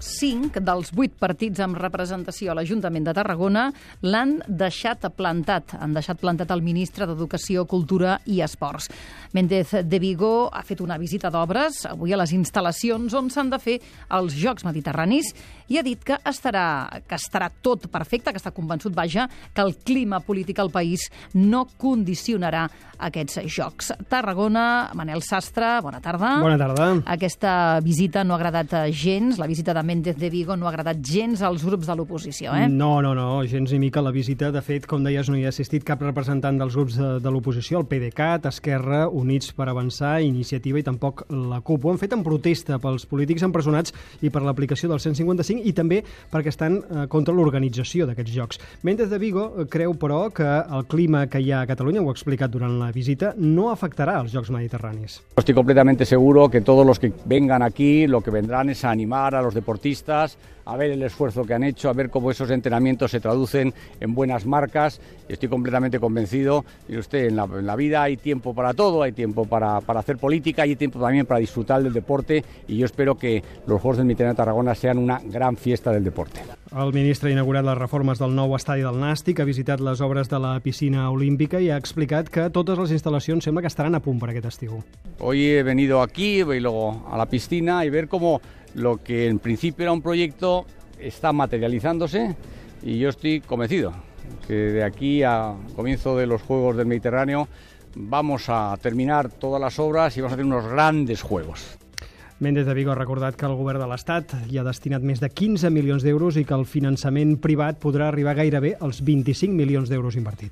5 dels 8 partits amb representació a l'Ajuntament de Tarragona l'han deixat plantat. Han deixat plantat el ministre d'Educació, Cultura i Esports. Méndez de Vigo ha fet una visita d'obres avui a les instal·lacions on s'han de fer els Jocs Mediterranis i ha dit que estarà tot perfecte, que està convençut, que el clima polític al país no condicionarà aquests Jocs. Tarragona, Manel Sastre, bona tarda. Bona tarda. Aquesta visita no ha agradat gens, la visita de Méndez de Vigo no ha agradat gens als grups de l'oposició, eh? No, gens ni mica la visita. De fet, com deies, no hi ha assistit cap representant dels grups de l'oposició, el PDeCAT, Esquerra, Units per Avançar, Iniciativa i tampoc la CUP. Ho han fet en protesta pels polítics empresonats i per l'aplicació del 155 i també perquè estan contra l'organització d'aquests Jocs. Méndez de Vigo creu, però, que el clima que hi ha a Catalunya, ho ha explicat durant la visita, no afectarà els Jocs Mediterranis. Estoy completamente seguro que todos los que vengan aquí lo que vendrán es a animar a los deportistas, a ver el esfuerzo que han hecho, a ver cómo esos entrenamientos se traducen en buenas marcas. Estoy completamente convencido. Y usted, en la vida hay tiempo para todo, hay tiempo para hacer política, hay tiempo también para disfrutar del deporte y yo espero que los Juegos del Mediterráneo de Tarragona sean una gran fiesta del deporte. El ministre ha inaugurat les reformes del nou estadi del Nàstic, ha visitat les obres de la piscina olímpica i ha explicat que totes les instal·lacions sembla que estaran a punt per aquest estiu. Hoy he venido aquí y luego a la piscina y ver cómo lo que en principio era un proyecto está materializándose y yo estoy convencido que de aquí a comienzo de los Juegos del Mediterráneo vamos a terminar todas las obras y vamos a tener unos grandes Juegos. Méndez de Vigo ha recordat que el govern de l'Estat hi ha destinat més de 15 milions d'euros i que el finançament privat podrà arribar gairebé als 25 milions d'euros invertit.